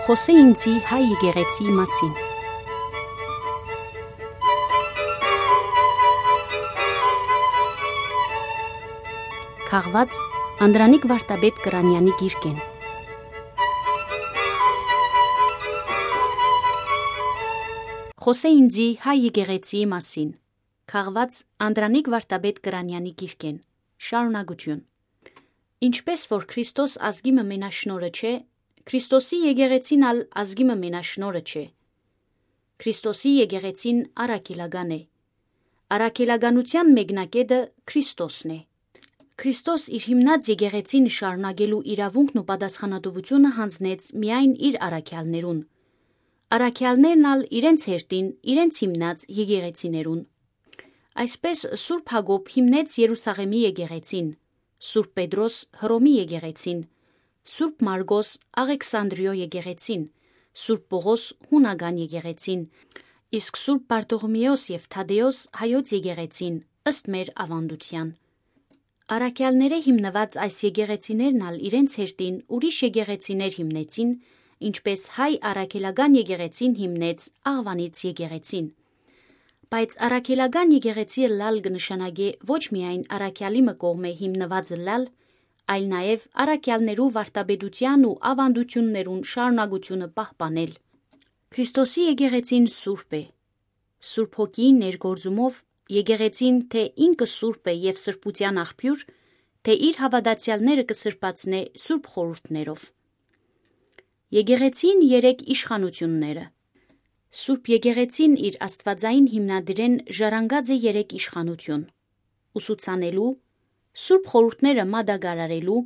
Խոսե ինձի հայ եկեղեցի մասին։ Քաղված Անդրանիկ Վարդապետ Կրանյանի գիրքեն։ Խոսե ինձի հայ եկեղեցի մասին։ Քաղված Անդրանիկ Վարդապետ Կրանյանի գիրքեն։ Շարունակություն։ Ինչպես որ Քրիստոս ազգի մենաշնորհը չէ, Քրիստոսի եկեղեցին ալ ազգի մենաշնորհը չէ։ Քրիստոսի եկեղեցին առաքելական է։ Առաքելականության մեկնակետը Քրիստոսն է։ Քրիստոս իր հիմնած եկեղեցին շարունակելու իրավունքն ու պատասխանատվությունը հանձնեց միայն իր առաքյալներուն։ Առաքյալներն ալ իրենց հերթին իրենց հիմնած եկեղեցիներուն։ Այսպես Սուրբ Հակոբ հիմնեց Երուսաղեմի եկեղեցին, Սուրբ Պետրոս Հռոմի եկեղեցին, Սուրբ Մարգոս Աղեքսանդրիո եկեղեցին, Սուրբ Պողոս հունական եկեղեցին, իսկ Սուրբ Բարտողոմեոս եւ Թադեոս հայոց եկեղեցին ըստ մեր ավանդության։ Առաքյալները հիմնված այս եկեղեցիներն ալ իրենց հերթին ուրիշ եկեղեցիներ հիմնեցին, ինչպես հայ առաքելական եկեղեցին հիմնեց Աղվանից եկեղեցին։ Բայց առաքելական եկեղեցիը լալ կնշանակե ոչ միայն առաքյալի կողմէ հիմնվածը լալ, այլ նաև առաքյալներու վարդապետության ու ավանդություններուն շարունակությունը պահպանել։ Քրիստոսի եկեղեցին սուրբ է։ Սուրբ Հոգիի ներգործումով եկեղեցին թե ինքը սուրբ է եւ սրբության աղբյուր, թե իր հավատացյալները կսրբացնե սուրբ խորհուրդներով։ Եկեղեցին 3 իշխանությունները։ Սուրբ եկեղեցին իր աստվածային հիմնադրեն ժառանգած է 3 իշխանություն՝ ուսուցանելու, սուրբ խորհուրդները մատակարարելու,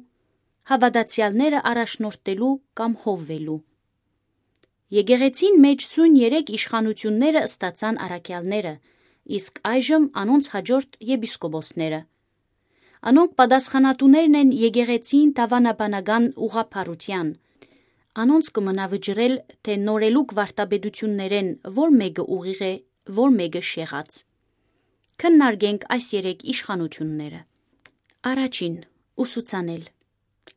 հավատացյալները առաջնորդելու կամ հովվելու։ Եկեղեցին մեջ սույն 3 իշխանությունները ստացան առաքյալները, իսկ այժմ անոնց հաջորդ եպիսկոպոսները։ Անոնք պատասխանատուներն են եկեղեցին դավանաբանական ուղղափառության։ Անոնց կմնա վճռել, թե նորելուկ վարդապետություններեն որ մեկը ուղիղ է, որ մեկը շեղած։ Քննարկենք այս 3 իշխանությունները։ Առաջին՝ ուսուցանել։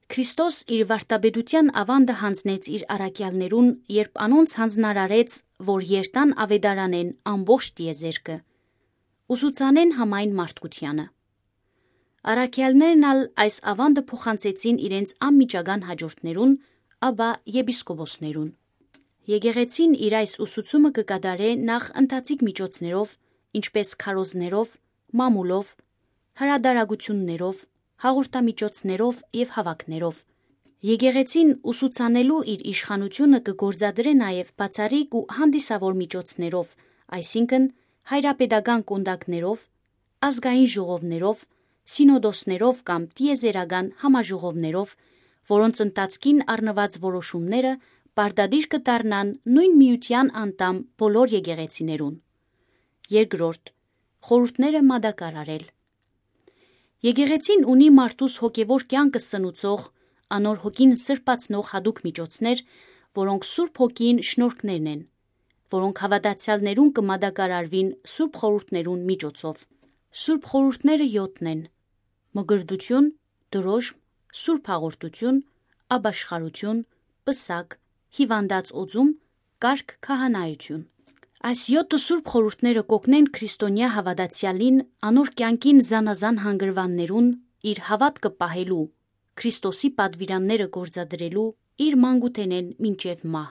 Քրիստոս իր վարդապետության ավանդը հանձնեց իր առաքյալներուն, երբ անոնց հանձնարարեց, որ երթան ավետարանեն ամբողջ տիեզերքը, ուսուցանեն համայն մարդկությանը։ Առաքյալներն ալ այս ավանդը փոխանցեցին իրենց անմիջական հաջորդներուն, ապա եպիսկոպոսներուն։ Եկեղեցին իր այս ուսուցումը կկատարե նախ ընթացիկ միջոցներով, ինչպես քարոզներով, մամուլով, հրադարագություններով, հաղորդամիջոցներով եւ հավաքներով։ Եկեղեցին ուսուցանելու իր իշխանությունը կգործադրե նաև բացառիկ ու հանդիսավոր միջոցներով, այսինքն հայրապետական կոնդակներով, ազգային ժողովներով, սինոդոսներով կամ տիեզերական համաժողովներով, որոնց ընթացքին առնված որոշումները պարտադիր կդառնան նույն միության անդամ բոլոր եկեղեցիներուն։ Երկրորդ՝ խորհուրդները մատակարարել։ Եկեղեցին ունի մարդուս հոգևոր կյանքը սնուցող, անոր հոգին սրբացնող հատուկ միջոցներ, որոնք Սուրբ Հոգին շնորհքներն են, որոնք հավատացյալներուն կմատակարարվին սուրբ խորհուրդներուն միջոցով։ Սուրբ խորհուրդները 7 են՝ մգրդություն, դրոշմ, սուրբ հաղորդություն, աբաշխարություն, պսակ, հիվանդած օծում, կարգ քահանայություն։ Այս 7 սուրբ խորհուրդները կօգնեն քրիստոնյա հավատացյալին անոր կյանքին զանազան հանգրվաններուն իր հավատքը պահելու, Քրիստոսի պատվիրանները գործադրելու իր մանկութենեն մինչև մահ։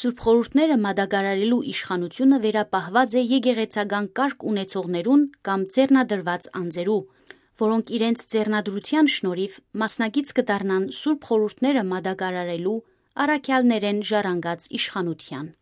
Սուրբ խորհուրդները մատակարարելու իշխանությունը վերապահված է եկեղեցական կարգ ունեցողներուն կամ ձեռնադրված անձերու, որոնք իրենց ձեռնադրության շնորհիվ մասնակից կդառնան սուրբ խորհուրդները մատակարարելու առաքյալներեն ժառանգած իշխանության։